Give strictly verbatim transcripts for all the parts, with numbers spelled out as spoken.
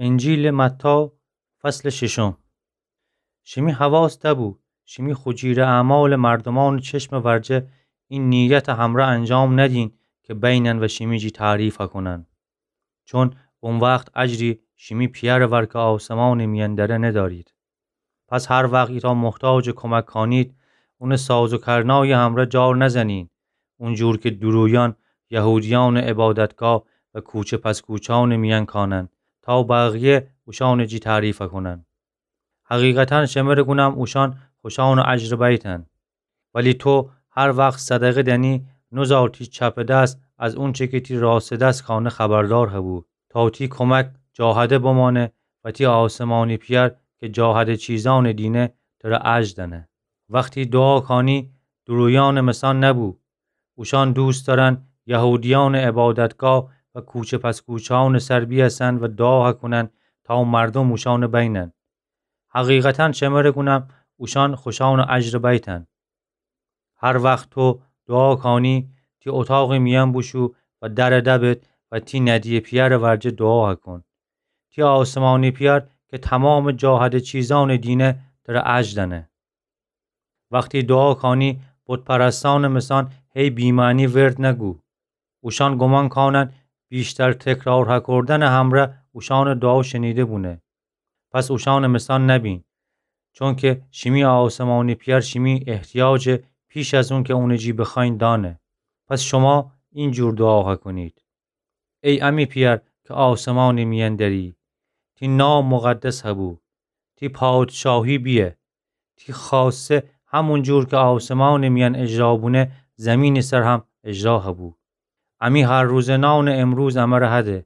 انجیلٚ متی، فصلٚ ششم. شیمی حواس دبو، شیمی خو جیرٚ اعمالٚ مردومأنٚ چشمٚ ورجه این نیتٚ همرأ انجام ندین کی بینن و شیمی جی تعریف کونن. چون او وخت اجری شیمی پیرٚ ورجه کی آسمانٚ میأن دره ندأرید. پس هر وخت ایتأ محتاجٚ کمک کانید، اونٚ ساز و کرنایٚ همرأ جار نزنین، اونجور کی دورویأن یهودیأنٚ عبادتگاه و کوچه پس کوچهأنٚ میأن کانن، تا بقیه اوشأنٚ جی تعریف کونن. حقیقتا شمره گونم، اوشأن خوشأنٚ اجر بیتن. ولی تو هر وخت صدقه دنی، نوزار تی چپٚ دس از اونچه کی تی راستٚ دس کانه خبردار هبو، تا تی کمک جا هده بمانه و تی آسمانی پیر کی جا هده چیزأن دینه، تره اجر دأنه. وختی دوعا کانی، دورویأنٚ مثأن نبو. اوشأن دوست دأرن یهودیأنٚ عبادتگاه و کوچه پس کوچهأنٚ سر بیأسن و دوعا کونن تا مردوم اوشأن بینن. حقیقتا شمره گونم، اوشأن خوشأنٚ اجر بیتن. هر وخت تو دوعا کانی، تی اتاقٚ میأن بوشو و در دبد و تی ندییٚ پیرٚ ورجه دوعا کون. تی آسمانی پیر کی تومامٚ جا هده چیزأن دینه، تره اجر دأنه. وختی دوعا کانی، بت‌پرستأنٚ مثأن هی بی‌معنی ورد نگو. اوشأن گومان کانن ویشتر تکرار هکردنٚ همرأ اوشأنٚ دوعا شنیده بونه. پس اوشأنٚ مثأن نبین، چونکی شیمی آسمانی پیر شیمی احتیاجٚ پیش از اونکه اونٚ جی بخوأیین دأنه. پس شما اینجور دوعا هکونید: ای امی پیر کی آسمانٚ میأن دری، تی نام مقدس هبو، تی پادشاهی بیه، تی خوأسته همونجور کی آسمانٚ میأن اجرا بونه، زیمینٚ سر هم اجرا هبو. امی هر روزه نانٚ امروز امره هده.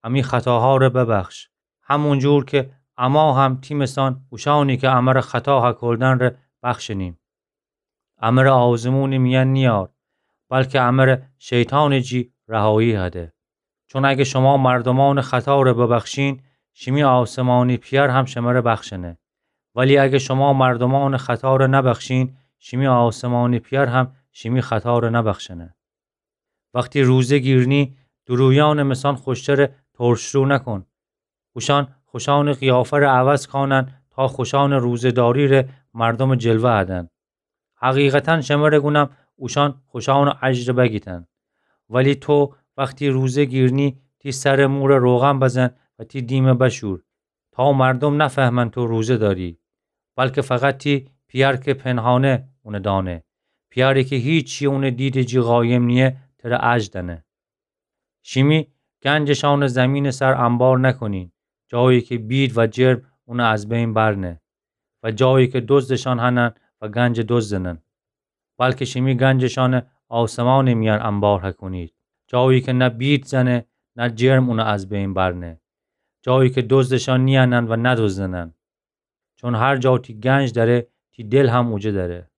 امی خطاهاره ببخش، همونجور کی اما هم تی مثأن اوشأنی کی امره خطا هکولدن ره بخشنیم. امره آزمونٚ میأن نیار، بلکی امره شیطانٚ جی رهایی هده. چون اگه شما مردومأنٚ خطاره ببخشین، شیمی آسمانی پیر هم شمره بخشنه. ولی اگه شما مردومأنٚ خطاره نبخشین، شیمی آسمانی پیر هم شیمی خطاره نبخشنه. وختی روزه گیرنی، دورویأنٚ مثأن خوشتره ترشرو نکون. اوشأن خوشأنٚ قیافه‌ره عوض کانن تا خوشأنٚ روزه‌داریره مردومٚ جلوه هدن. حقیقتا شمره گونم، اوشأن خوشأنٚ اجر بگیتن. ولی تو وختی روزه گیرنی، تی سرٚ موره روغن بزن و تی دیمه بشور، تا مردوم نفهمن تو روزه داری، بلکی فقط تی پیر کی پنهانه اونه دأنه. پیری کی هیچی اونٚ دیدٚ جی قایم نییه، تره اجر دأنه. شیمی گنجشأنه زیمینٚ سر انبار نکونین، جایی کی بید و جرم اونه از بین برنه و جایی کی دزدشأن هنن و گنج دزدنن. بلکی شیمی گنجشأنه آسمانٚ میأن انبار هکونید، جایی کی نه بید زنه، نه جرم اونه از بین برنه، جایی کی دزدشأن نیأنن و ندزدنن. چون هر جا تی گنج دأره، تی دل هم اوجه دأره.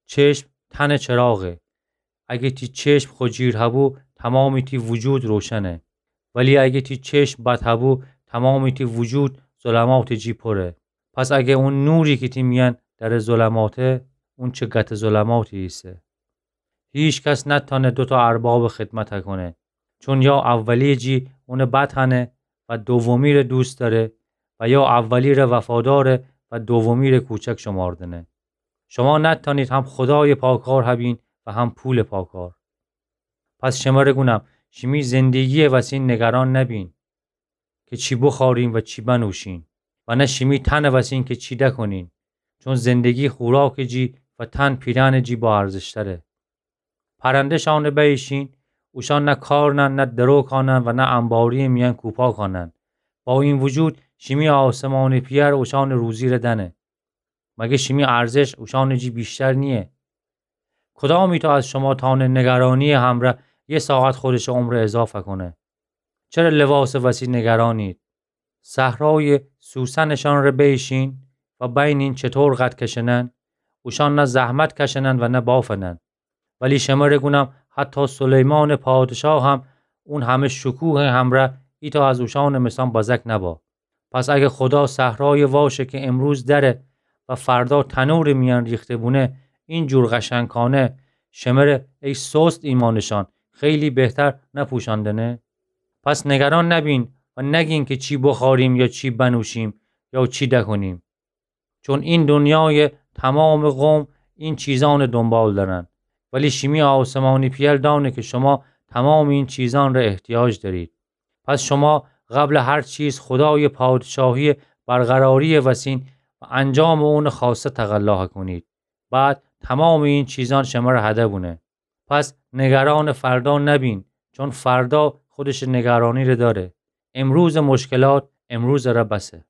چشم تنٚ چراغه. اگه تی چشم خو جیر هبو، تومامٚ تی وجود روشنه. ولی اگه تی چشم بد هبو، تومامٚ تی وجود ظلماتٚ جی پوره. پس اگه اون نوری کی تی میأن دأره ظلماته، اون چه گتٚ ظلماتی ایسه. هیکس نتأنه دوتأ اربابٚ خدمت هکونه، چون یا اولیٚ جی اونه بد هنه و دومیره دوست دأره و یا اولیره وفاداره و دومیره کوچک شوماردنه. شما نتأنید هم خودایٚ پاکار هبین و هم پولٚ پاکار. پس شمره گونم، شیمی زندگییٚ وسین نگران نبین کی چی بوخورین و چی بنوشین، و نه شیمی تنٚ وسین کی چی دکونین. چون زندگی خوراکٚ جی و تن پیرأنٚ جی با ارزشتره. پرنده‌شأنه بییشین، اوشأن نه کار نن، نه درو کانن و نه انبارییٚ میأن کوپا کانن. با این وجود شیمی آسمانٚ پییر اوشأنٚ روزیره دأنه. مگه شیمی ارزش اوشأنٚ جی ویشتر نییه؟ کدامیتو از شما تأنه نگرانییٚ همرأ یه ساعت خودشٚ عمره اضافه کونه؟ چره لباسٚ وسی نگرانید؟ صحرایٚ سوسنٚ شأنٚ ره بییشین و بینین چطور قد کشنن؟ اوشأن نه زحمت کشنن و نه بافنن. ولی شمره گونم حتی سلیمانٚ پادشاه هم اون همه شکوهٚ همرأ ایتأ از اوشأنٚ مثأن بزک نبا. پس اگه خودا صحرایٚ واشه کی امروز دره و فردا تنورٚ میأن ریخته بونه، اینجور قشنگ کانه، شمره ای سست ایمأنٚ شأن خیلی بهتر نپوشأندنه؟ پس نگران نبین و نگین که چی بخوریم یا چی بنوشیم یا چی دکنیم. چون این دنیای تمام قوم این چیزان دنبال دارن، ولی شیمی آسمانی پئر دانه که شما تمام این چیزان را احتیاج دارید. پس شما قبل هر چیز خدای پادشاهی برقراری وسین و انجام اون خواسته تقلا کنید. بعد تمام این چیزان شمر هده بونه. پس نگران فردا نبین، چون فردا خودش نگرانی ره داره. امروز مشکلات امروز ره بسه.